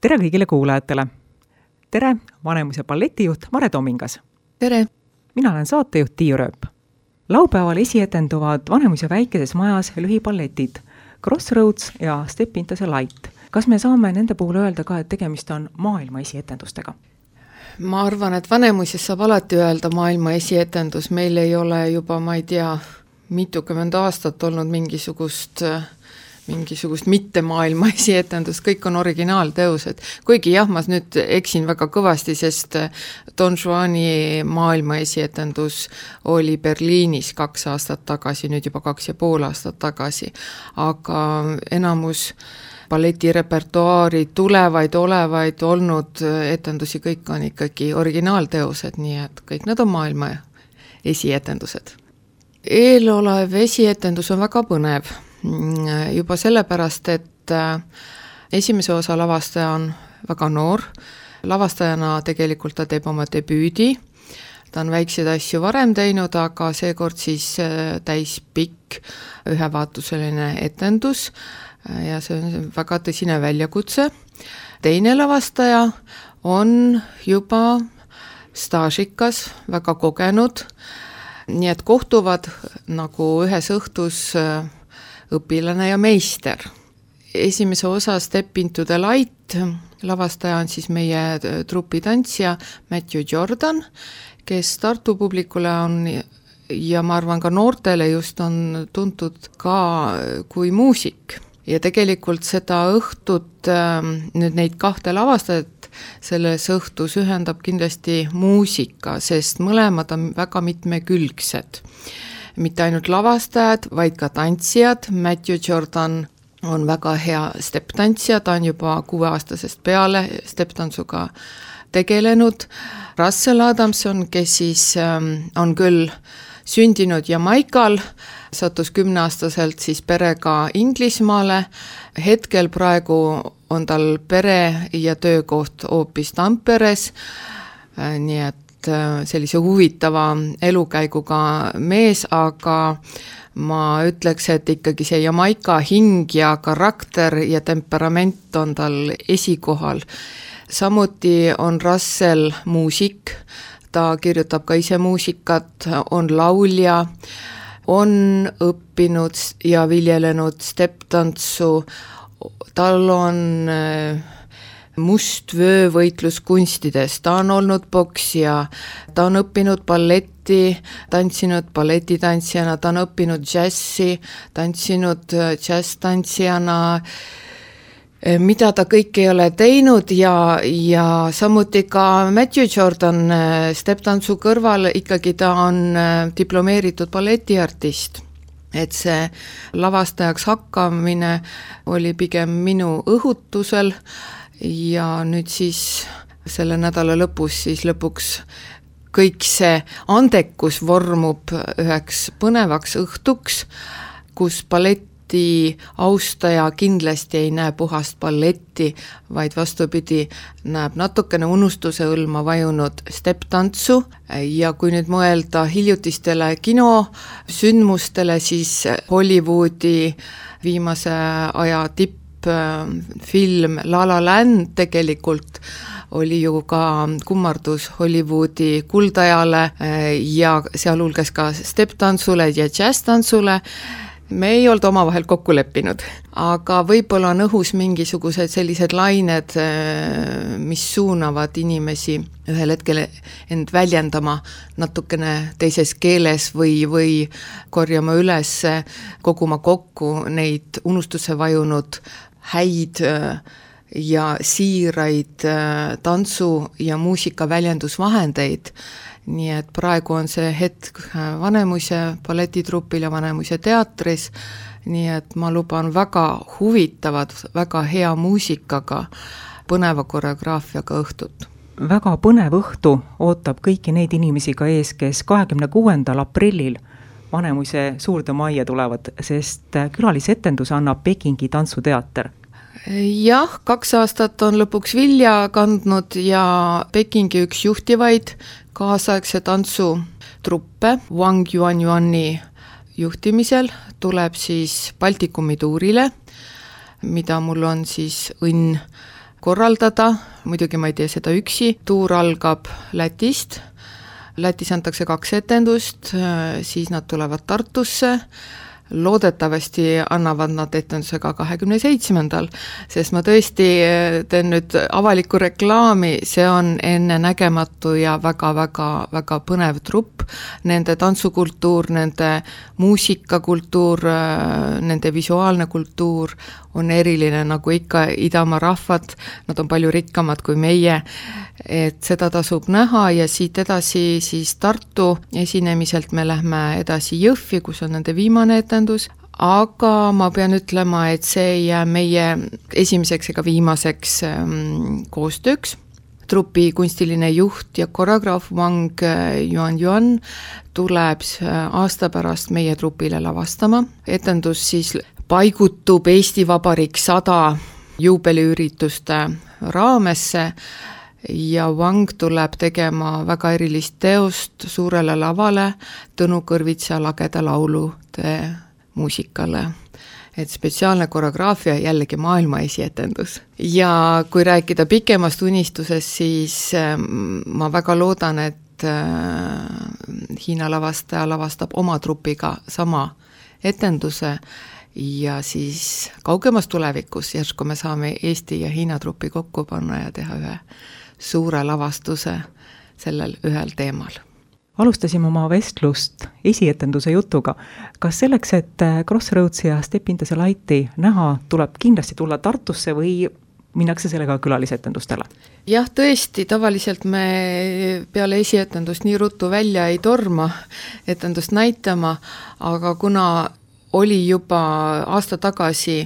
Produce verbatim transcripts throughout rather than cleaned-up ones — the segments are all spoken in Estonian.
tere kõigile kuulajatele! Tere, Vanemuise balletijuht Mare Tomingas! Tere! Mina olen saatejuht Tiiu Rööp. Laupäeval esietenduvad Vanemuise väikeses majas lühipalletid Crossroads ja Step into the Light. Kas me saame nende puhul öelda ka, et tegemist on maailma esietendustega? Ma arvan, et Vanemuises saab alati öelda maailma esietendus. Meil ei ole juba, ma ei tea, mitukümmend aastat olnud mingisugust... mingisugust mitte maailma esietendust, kõik on originaalteosed. Kuigi jah, ma nüüd eksin väga kõvasti, sest Don Juani maailma esietendus oli Berliinis kaks aastat tagasi, nüüd juba kaks ja pool aastat tagasi. Aga enamus balleti repertuaari tulevaid, olevaid, olnud etendusi, kõik on ikkagi originaalteosed, nii et kõik need on maailma esietendused. Eelolev esietendus on väga põnev. Juba sellepärast, et esimese osa lavastaja on väga noor. Lavastajana tegelikult ta teeb oma debüüdi. Ta on väikseid asju varem teinud, aga seekord siis täis pikk ühevaatuseline etendus ja see on väga tõsine väljakutse. Teine lavastaja on juba staažikas, väga kogenud, nii et kohtuvad nagu ühes õhtus õpilane ja meister. Esimese osa Step into the Light lavastaja on siis meie trupitantsija Matthew Jordan, kes Tartu publikule on ja ma arvan ka noortele just on tuntud ka kui muusik. Ja tegelikult seda õhtut, nüüd neid kahte lavastajat selles õhtus ühendab kindlasti muusika, sest mõlemad on väga mitmekülgsed. Mitte ainult lavastajad, vaid ka tantsijad. Matthew Jordan on väga hea step-tantsija, ta on juba kuueaastasest peale step-tantsuga tegelenud. Russell Adamson, kes siis on küll sündinud Jamaikal, sattus kümneaastaselt siis perega Inglismaale. Hetkel praegu on tal pere ja töökoht hoopis Tamperes, nii et sellise huvitava elukäiguga mees, aga ma ütleks, et ikkagi see Jamaika hing ja karakter ja temperament on tal esikohal. Samuti on Russell muusik, ta kirjutab ka ise muusikat, on laulja, on õppinud ja viljelenud step-tantsu, tal on must vöövõitlus kunstides, ta on olnud boksija, ta on õppinud balletti, tantsinud balletitantsijana, ta on õppinud džässi, tantsinud džässtantsijana, mida ta kõik ei ole teinud ja, ja samuti ka Matthew Jordan step-tantsu kõrval ikkagi ta on diplomeeritud balletiartist. Et see lavastajaks hakkamine oli pigem minu õhutusel ja nüüd siis selle nädala lõpus siis lõpuks kõik see andekus vormub üheks põnevaks õhtuks, kus balleti austaja kindlasti ei näe puhast balletti, vaid vastupidi näeb natukene unustuse õlma vajunud step-tantsu ja kui nüüd mõelda hiljutistele kinosündmustele, siis Hollywoodi viimase aja tipp film La La Land tegelikult oli ju ka kummardus Hollywoodi kuldajale ja sealhulgas ka step-tantsule ja jazz-tantsule. Me ei olnud omavahel kokku leppinud, aga võib-olla on õhus mingisugused sellised lained, mis suunavad inimesi ühel hetkel end väljendama natukene teises keeles või, või korjama üles, koguma kokku neid unustuse vajunud häid ja siiraid tantsu- ja muusika väljendusvahendeid. Nii et praegu on see hetk Vanemuise balletitrupil ja Vanemuise teatris, nii et ma luban väga huvitavad, väga hea muusikaga, põneva koreograafiaga õhtut. Väga põnev õhtu ootab kõiki neid inimesi ka ees, kes kahekümne kuuendal aprillil Vanemuise suurde majja tulevad, sest külalisetendus annab Pekingi tantsuteater. Jah, kaks aastat on lõpuks vilja kandnud ja Pekingi üks juhtivaid kaasaegse tantsutruppe Wang Yuanyuani juhtimisel tuleb siis Baltikumi tuurile, mida mul on siis õnn korraldada, muidugi ma ei tee seda üksi, tuur algab Lätist, Lätis antakse kaks etendust, siis nad tulevad Tartusse, loodetavasti annavad nad etenduse ka kahekümne seitsmendal, sest ma tõesti teen nüüd avalikku reklaami, see on ennenägematu ja väga-väga-väga põnev trupp, nende tantsukultuur, nende muusikakultuur, nende visuaalne kultuur on eriline, nagu ikka Idamaa rahvad, nad on palju rikkamad kui meie, et seda tasub näha ja siit edasi siis Tartu esinemiselt me lähme edasi Jõhvi, kus on nende viimane etendus, aga ma pean ütlema, et see ei jää meie esimeseks ega viimaseks koostööks. Trupi kunstiline juht ja koreograaf Wang Yuan Yuan tuleb aasta pärast meie trupile lavastama. Etendus siis paigutub Eesti Vabariik sada juubeliürituste raamesse ja Wang tuleb tegema väga erilist teost suurele lavale Tõnu Kõrvitsa lageda laulude muusikale. Et spetsiaalne koreograafia jällegi maailma esietendus. Ja kui rääkida pikemast unistusest, siis ma väga loodan, et Hiina lavastaja lavastab oma trupiga sama etenduse ja siis kaugemas tulevikus järsku me saame Eesti ja Hiina trupi kokku panna ja teha ühe suure lavastuse sellel ühel teemal. Alustasime oma vestlust esietenduse jutuga. Kas selleks, et Crossroads ja Step Into the Lighti näha, tuleb kindlasti tulla Tartusse või minnakse sellega külalisetendustele? Jah, tõesti, tavaliselt me peale esietendust nii ruttu välja ei torma etendust näitama, aga kuna oli juba aasta tagasi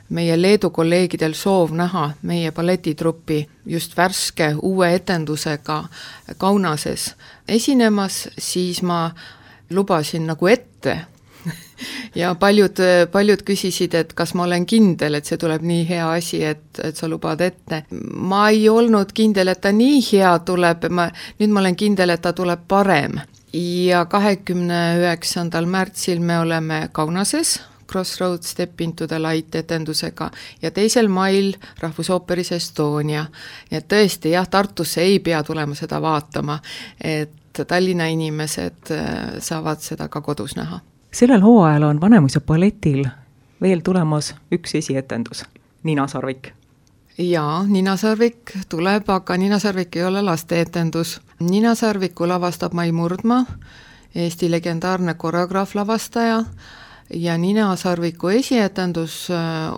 meie Leedu kolleegidel soov näha meie balletitruppi just värske uue etendusega Kaunases esinemas, siis ma lubasin nagu ette ja paljud, paljud küsisid, et kas ma olen kindel, et see tuleb nii hea asi, et, et sa lubad ette. Ma ei olnud kindel, et ta nii hea tuleb, ma, nüüd ma olen kindel, et ta tuleb parem. Ja kahekümne üheksandal märtsil me oleme Kaunases, Crossroads Step Into the Light etendusega ja teisel mail Rahvusooperis Estonia. Ja tõesti, jah, Tartusse ei pea tulema seda vaatama, et Tallinna inimesed saavad seda ka kodus näha. Sellel hooajal on Vanemuise balletil veel tulemas üks esietendus, Nina Sarvik. Jaa, Nina Sarvik tuleb, aga Nina Sarvik ei ole lasteetendus. Nina Sarviku lavastab Mai Murdma, Eesti legendaarne koreograaf lavastaja, ja Nina Sarviku esietendus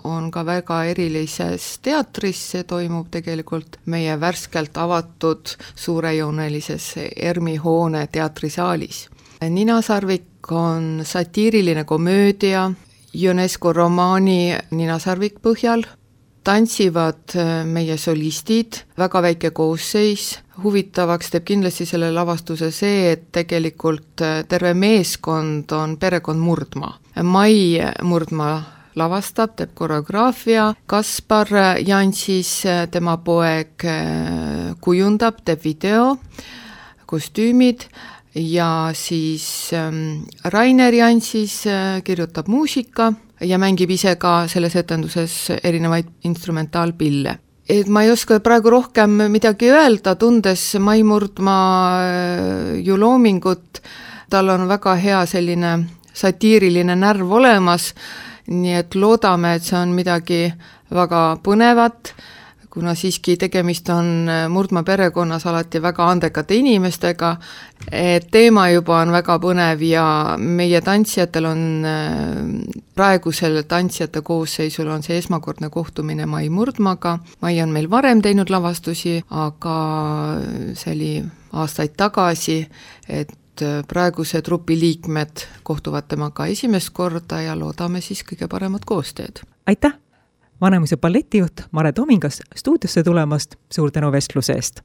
on ka väga erilises teatris, see toimub tegelikult meie värskelt avatud suurejoonelises ERMi hoone teatrisaalis. Nina Sarvik on satiiriline komöödia UNESCO romaani Nina Sarvik põhjal, tantsivad meie solistid, väga väike koosseis, huvitavaks teeb kindlasti selle lavastuse see, et tegelikult terve meeskond on perekond Murdma. Mai Murdma lavastab, teeb koreograafia, Kaspar Jansis, tema poeg kujundab, teeb video, kostüümid ja siis Rainer Jansis kirjutab muusika ja mängib ise ka selles etenduses erinevaid instrumentaalpille. Et ma ei oska praegu rohkem midagi öelda, tundes Mai Murdma ju loomingut, tal on väga hea selline satiiriline närv olemas, nii et loodame, et see on midagi väga põnevat, kuna siiski tegemist on Murdma perekonnas alati väga andekate inimestega, et teema juba on väga põnev ja meie tantsijatel on, praegusel tantsijate koosseisul on see esmakordne kohtumine Mai Murdmaga. Mai on meil varem teinud lavastusi, aga see oli aastaid tagasi, et praeguse trupi liikmed kohtuvad temaga esimest korda ja loodame siis kõige paremat koostööd. Aitäh! Vanemuise balletijuht Mare Tomingas stuudiosse tulemast, suur tänu vestluse eest!